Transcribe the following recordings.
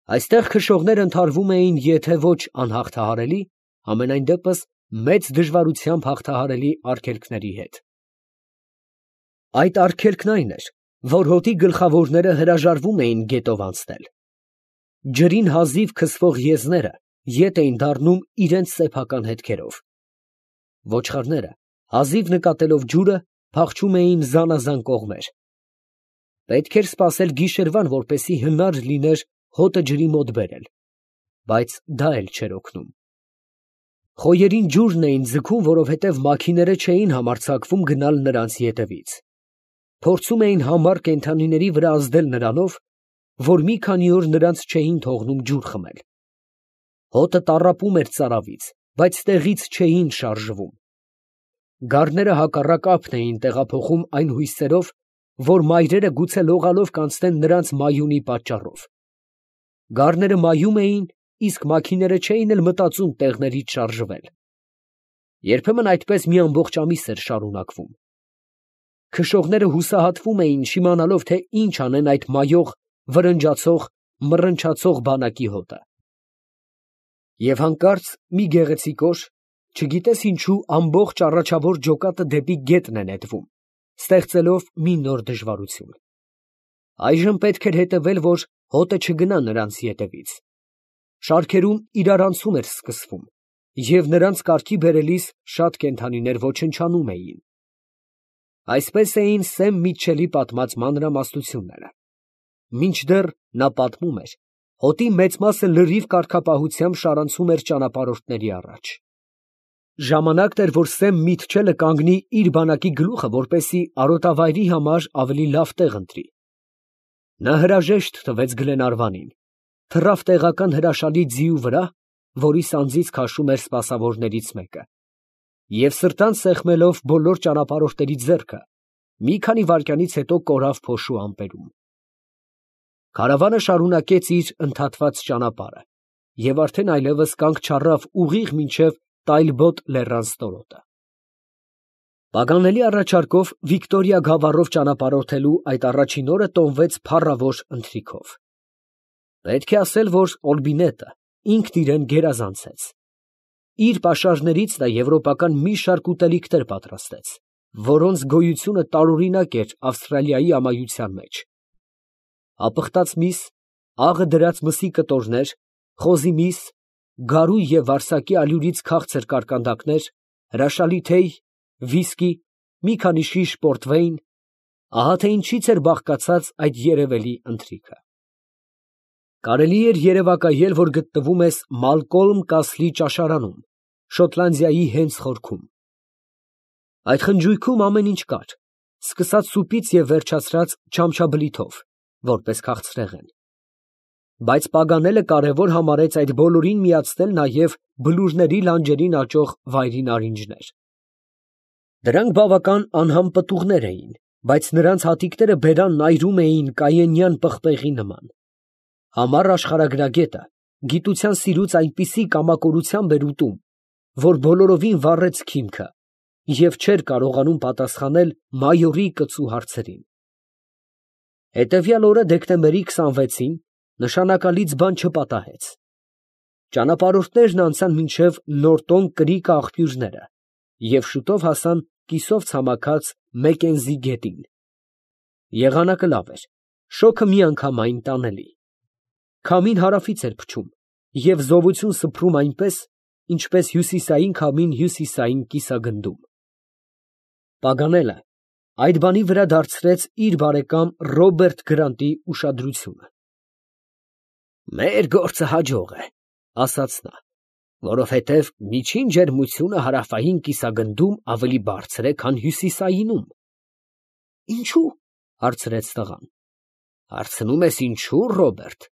Այստեղ քշողները ընդհարվում էին եթե ոչ անհաղթահարելի, ամենայն դեպս մեծ դժվարությամբ հաղթահարելի արգելքների հետ։ Այդ արգելքն այն էր, որ հոտի գլխավորները հրաժարվում էին գետով անցնել։ Ջրին հազիվ քսվող եզները ետ էին դառնում իրենց սեփական հետքերով։ Ոչխարները, հազիվ նկատելով ջուրը, փախչում էին զանազան կողմեր։ Պետք էր սպասել գիշերվան, որպեսզի հնար լիներ հոտը ջրի մոտ բերել, բայց դա էլ չէր օգնում։ Խոյերին ջուրն էին ձգում, որովհետև մաքիները չէին համարձակվում գնալ նրանց ետևից։ Փորձում էին համառ կենդանիների վրա ազդել նրանով, որ մի քանի օր նրանց չէին թողնում ջուր խմել։ Հոտը տառապում էր ծարավից, բայց տեղից չէին շարժվում։ Գառները հակառակ ափն էին տեղափոխում այն հույսերով, որ մայրերը գուցե լողալով կանցնեն նրանց մայունի պատճառով։ Գառները մայում էին, իսկ մաքիները չէին էլ մտածում տեղներից շարժվել։ Երբեմն այդպես մի ամբողջ ամիս էր շարունակվում։ Քշողները հուսահատվում էին, չիմանալով, թե ինչ անեն այդ մայող, վրնջացող, մռնչացող բանակի հոտը։ Եվ հանկարծ մի գեղեցիկ օր, չգիտես ինչու, ամբողջ առաջավոր ջոկատը դեպի գետն է նետվում, ստեղծելով մի նոր դժվարություն։ Այժմ պետք էր հետևել, որ հոտը չգնա նրանց ետևից։ Շարքերում իրարանցում էր սկսվում, և նրանց կարգի բերելիս շատ կենդանիներ ոչնչանում էին։ Այսպես էին Սեմ Միտչելի պատմած մանրամասնությունները։ Մինչդեռ նա պատմում էր, հոտի մեծ մասը լրիվ կարգապահությամբ շարանցում էր ճանապարհորդների առաջ։ Ժամանակն էր, որ Սեմ Միտչելը կանգնի իր բանակի գլուխը, որպեսզի արոտավայրի համար ավելի լավ տեղ ընտրի։ Նա հրաժեշտ տվեց Գլենարվանին, թռավ տեղական հրաշալի ձիու վրա, որի սանձից քաշում էր սպասավորներից մեկը, և սրտան սեղմելով բոլոր ճանապարհորդների ձեռքը, մի քանի վայրկյանից հետո կորավ փոշու ամպերում։ Քարավանը շարունակեց իր ընդհատված ճանապարհը և արդեն այլևս կանգ չառավ ուղիղ մինչև Տայլբոտ լեռան ստորոտը։ Պագանելի առաջարկով Վիկտորիա գավառով ճանապարհորդելու այդ առաջին օրը տոնվեց փառավոր ընթրիքով։ Պետք է ասել, որ Օլբինետը ինքն իրեն գերազանցեց։ Իր պաշարներից նա եվրոպական մի շարք ուտելիքներ պատրաստեց, որոնց գոյությունը տարօրինակ էր Ավստրալիայի ամայության մեջ։ Ապխտած միս, աղը դրած մսի կտորներ, խոզի միս, գարու և վարսակի ալյուրից քաղցր կարկանդակներ, հրաշալի թեյ, վիսկի, մի քանի շիշ պորտվեյն, ահա թե ինչից էր բաղկացած այդ երևելի ընթրիքը։ Կարելի էր երևակայել, որ գտնվում ես Մալկոլմ Կասլի ճաշարանում, Շոտլանդիայի հենց խորքում։ Այդ խնջույքում ամեն ինչ կար, սկսած սուպից և վերջացրած չամչաբլիթով, որպես քաղցրեղեն։ Բայց Պագանելը կարևոր համարեց այդ բոլորին միացնել նաև բլուրների լանջերին աճող վայրի նարինջներ։ Դրանք բավական անհամ պտուղներ էին, բայց նրանց հատիկները բերանն այրում էին կայենյան պղպեղի նման։ Համառ աշխարհագրագետը գիտության սիրուց այնպիսի կամակորությամբ էր ուտում, որ բոլորովին վառեց քիմքը և չէր կարողանում պատասխանել մայորի կծու հարցերին։ Հետևյալ օրը դեկտեմբերի 26-ին նշանակալից բան չպատահեց։ Ճանապարհորդներն անցան մինչև Նորտոն կրիք աղբյուրները և շուտով հասան կիսով ցամաքած Մեկենզի գետին։ Եղանակը լավ էր, շոգը միանգամայն տանելի։ Քամին հարավից էր փչում և զովություն սփռում այնպես, ինչպես հյուսիսային քամին հյուսիսային կիսագնդում։ Պագանելը այդ բանի վրա դարձրեց իր բարեկամ Ռոբերտ Գրանտի ուշադրությունը։ «Մեր գործը հաջող է, ֊ ասաց նա, ֊ որովհետև միջին ջերմությունը հարավային կիսագնդում ավելի բարձր է, քան հյուսիսայինում»։ ֊ Ինչո՞ւ, ֊ հարցրեց տղան։ ֊ Հարցնում ես ինչո՞ւ, Ռոբերտ.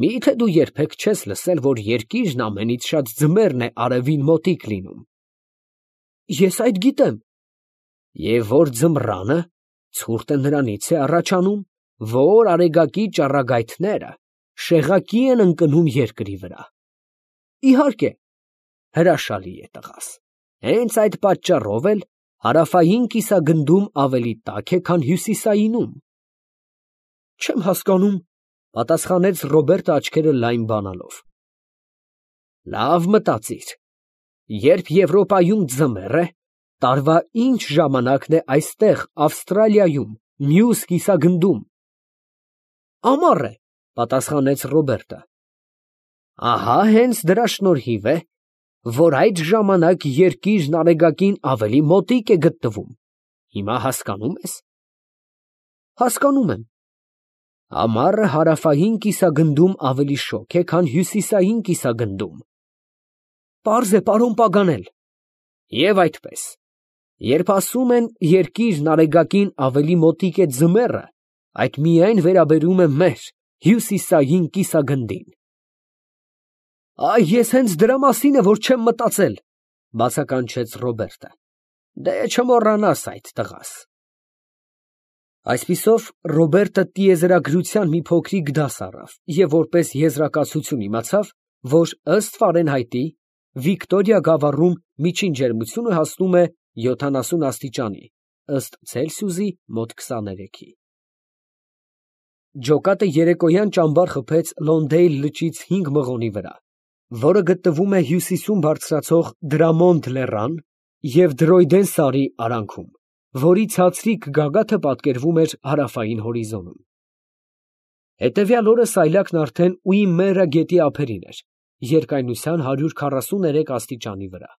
մի՞թե դու երբեք չես լսել, որ երկիրն ամենից շատ ձմեռն է արևին մոտիկ լինում։ ֊ Ես այդ գիտեմ։ ֊ Եվ որ ձմռանը ցուրտը նրանից է առաջանում, որ արեգակի ճառագայթները շեղակի են ընկնում երկրի վրա։ ֊ Իհարկե։ ֊ Հրաշալի է, տղաս, հենց այդ պատճառով էլ հարավային կիսագնդում ավելի տաք է, քան հյուսիսայինում։ ֊ Չեմ հասկանում, Պատասխանեց Ռոբերտը աչքերը լայն բանալով։ Լավ մտածիր, երբ Եվրոպայում ձմեռ է, տարվա ինչ ժամանակն է այստեղ Ավստրալիայում, մյուս կիսագնդում։ Ամառ է, պատասխանեց Ռոբերտը։ Ահա հենց դրա շնորհիվ է, որ այդ ժամանակ երկիրն արեգակին ավելի մոտիկ է գտնվում։ Հիմա հասկանում ես։ Հասկանում եմ։ Ամառը հարավային կիսագնդում ավելի շոգ է, քան հյուսիսային կիսագնդում։ Պարզ է, պարոն Պագանել։ Եվ այդպես, երբ ասում են երկիրն արեգակին ավելի մոտիկ է ձմեռը, այդ միայն վերաբերում է մեր հյուսիսային կիսագնդին։ Այ ես հենց դրա մասին է, որ չեմ մտածել, բացականչեց Ռոբերտը։ Դե չմոռանաս այդ տղաս։ Այսպիսով Ռոբերտը տիեզերագրության մի փոքրիկ դաս առավ և որպես եզրակացություն իմացավ, որ ըստ Ֆարենհայտի Վիկտորիա գավառում միջին ջերմությունը հասնում է 70 աստիճանի, ըստ Ցելսիուսի մոտ 23-ի։ Ջոկատը երեկոյան ճամբար խփեց Լոնդեյլ լճից 5 մղոնի վրա, որը գտնվում է հյուսիսում բարձրացող Դրամոնդ լեռան և Դրոյդեն սարի արանքում, որի ցածրիկ գագաթը պատկերվում էր հարավային հորիզոնում։ Հետևյալ օրը սայլակն արդեն Ուիմմերա գետի ափերին էր, երկայնության 143 աստիճանի վրա։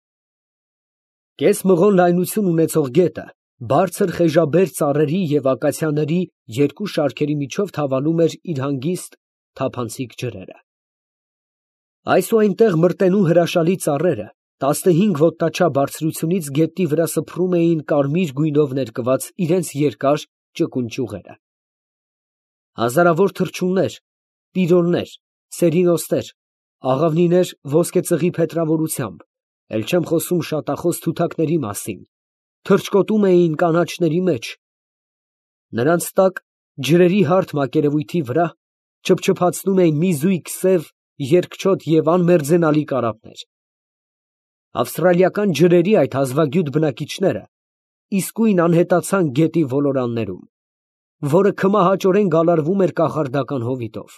Կես մղոն լայնություն ունեցող գետը բարձր խեժաբեր ծառերի և ակացիաների երկու շարքերի միջով թավալում էր իր հանգիստ թափանցիկ ջրերը։ Այս ու այնտեղ մրտենու հրաշալի ծառերը 15 ոտնաչափ բարձրությունից գետնի վրա սփռում էին կարմիր գույնով ներկված իրենց երկար ճկուն ճյուղերը։ Հազարավոր թռչուններ, տիրոլներ, սերինոստեր, աղավնիներ ոսկեծղի փետրավորությամբ, էլ չեմ խոսում շատախոս թութակների մասին, թռչկոտում էին կանաչների մեջ։ Նրանց տակ ջրերի հարթ մակերևույթի վրա չփչփացնում էին մի զույգ սև, երկչոտ և անմերձենալի կարապներ։ Ավստրալիական ջրերի այդ հազվագյուտ բնակիչները իսկույն անհետացան գետի ոլորաններում, որը քմահաճորեն գալարվում էր կախարդական հովիտով։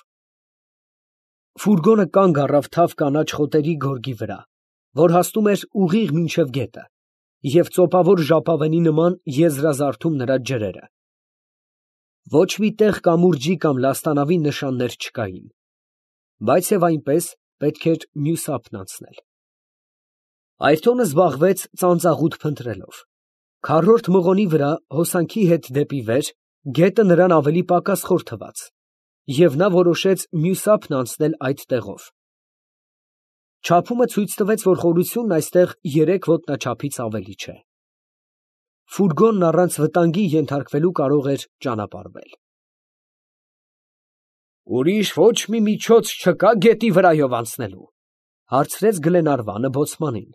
Ֆուրգոնը կանգ առավ թավ կանաչ խոտերի գորգի վրա, որ հասնում էր ուղիղ մինչև գետը, և ծոպավոր ժապավենի նման եզրազարդում նրա ջրերը։ Ոչ մի տեղ կամուրջի կամ լաստանավի նշաններ չկային, բայց և այնպես պետք էր մյուս ափն անցնել։ Այրթոնը զբաղվեց ծանծաղուտ փնտրելով։ Քառորդ մղոնի վրա հոսանքի հետ դեպի վեր գետը նրան ավելի պակաս խոր թվաց, և նա որոշեց մյուս ափն անցնել այդ տեղով։ Չափումը ցույց տվեց, որ խորությունն այստեղ 3 ոտնաչափից ավելի չէ։ Ֆուրգոնն առանց վտանգի ենթարկվելու կարող էր ճանապարհվել։ Ուրիշ ոչ մի միջոց չկա գետի վրայով անցնելու, հարցրեց Գլենարվանը բոցմանին։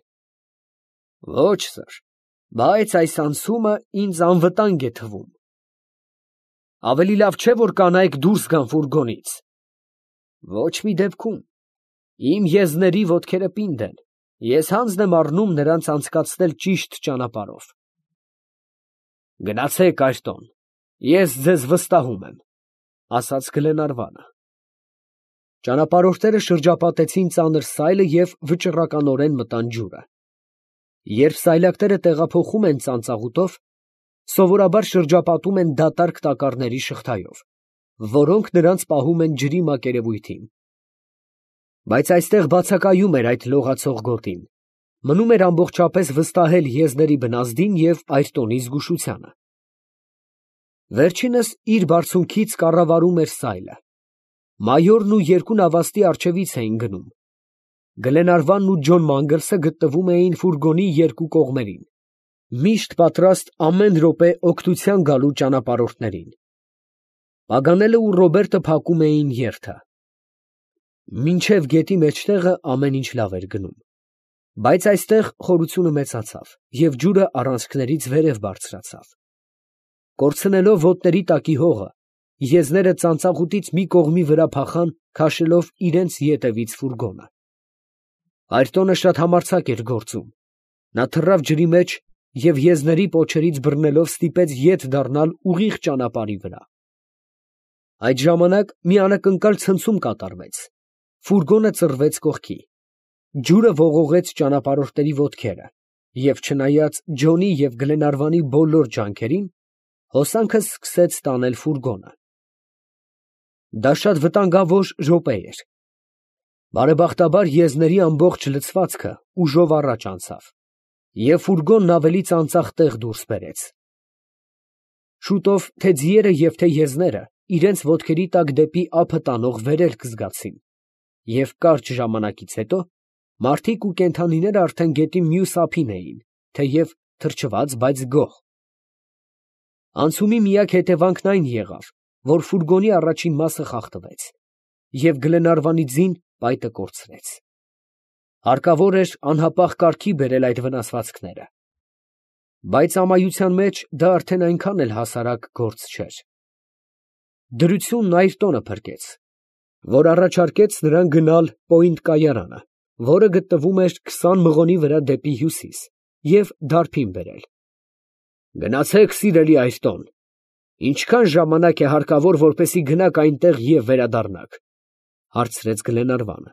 Ոչ, սըր, բայց այս անցումը ինձ անվտանգ է թվում։ Ավելի լավ չէ, որ կանայք դուրս գան ֆուրգոնից։ Ոչ մի դեպքում։ Իմ եզների ոտքերը պինդ են, ես հանձն եմ առնում նրանց անցկացնել ճիշտ ճանապարհով։ Գնացեք Այրտոն, ես ձեզ վստահում եմ, ասաց Գլենարվանը։ Ճանապարհորդները շրջապատեցին ծանր սայլը և վճռականորեն մտան ջուրը։ Երբ սայլակները տեղափոխում են ծանծաղուտով, սովորաբար շրջապատում են դատարկ տակառների շղթայով, որոնք նրանց պահում են ջրի մակերևույթին։ Բայց այստեղ բացակայում էր այդ լողացող գոտին, մնում էր ամբողջապես վստահել եզների բնազդին և Այրտոնի զգուշությանը։ Վերջինս իր բարձունքից կառավարում էր սայլը։ Մայորն ու երկու նավաստի առջևից էին գնում։ Գլենարվանն ու Ջոն Մանգլսը գտնվում էին ֆուրգոնի երկու կողմերին, միշտ պատրաստ ամեն րոպե օգնության գալու ճանապարհորդներին։ Պագանելը ու Ռոբերտը փակում էին երթը։ Մինչև գետի մեջտեղը ամեն ինչ լավ էր գնում, բայց այստեղ խորությունը մեծացավ և ջուրը առանցքներից վերև բարձրացավ։ Կորցնելով ոտների տակի հողը, եզները ծանծաղուտից մի կողմի վրա փախան, քաշելով իրենց ետևից ֆուրգոնը։ Այրտոնը շատ համարձակ էր գործում։ Նա թռավ ջրի մեջ և եզների պոչերից բռնելով ստիպեց ետ դառնալ ուղիղ ճանապարհի վրա։ Այդ ժամանակ մի անակնկալ ցնցում կատարվեց. ֆուրգոնը ծռվեց կողքի, ջուրը ողողեց ճանապարհորդների ոտքերը, և չնայած Ջոնի և Գլենարվանի բոլոր ջանքերին, հոսանքը սկսեց տանել ֆուրգոնը։ Դա շատ վտանգավոր րոպե էր։ Բարեբախտաբար եզների ամբողջ լցվածքը ուժով առաջ անցավ, և ֆուրգոնն ավելի ծանծաղ տեղ դուրս բերեց։ Շուտով թե ձիերը և թե եզները իրենց ոտքերի տակ դեպի ափը տանող վերելք զգացին, և կարճ ժամանակից հետո մարդիկ ու կենդանիները արդեն գետի մյուս ափին էին, թեև թրջված, բայց գոհ։ Անցումի միակ հետևանքն այն եղավ, որ ֆուրգոնի առաջին մասը խախտվեց, և Գլենարվանի ձին պայտը կորցրեց։ Հարկավոր էր անհապաղ կարգի բերել այդ վնասվածքները, բայց ամայության մեջ դա արդեն այնքան էլ հասարակ գործ չէր։ Դրությունն Այրտոնը փրկեց, որ առաջարկեց նրան գնալ Պոինտ կայարանը, որը գտնվում էր 20 մղոնի վրա դեպի հյուսիս, և դարբին բերել։ Գնացե՛ք, սիրելի Այրտոն, ինչքա՞ն ժամանակ է հարկավոր, որպեսզի գնաք այնտեղ և վերադառնաք, ֊ հարցրեց Գլենարվանը։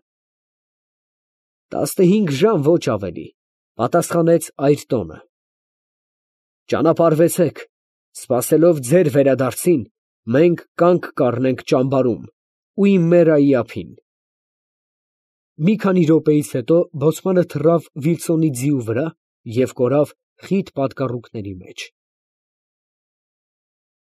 15 ժամ, ոչ ավելի, ֊ պատասխանեց Այրտոնը։ Ճանապարհվեցեք, սպասելով ձեր վերադարձին, մենք կանգ կառնենք ճամբարում ու իմ մերայի ափին։ Մի քանի րոպեից հետո բոցմանը թռավ Վիլսոնի ձիու վրա և կորավ խիտ պատկառուկների մեջ։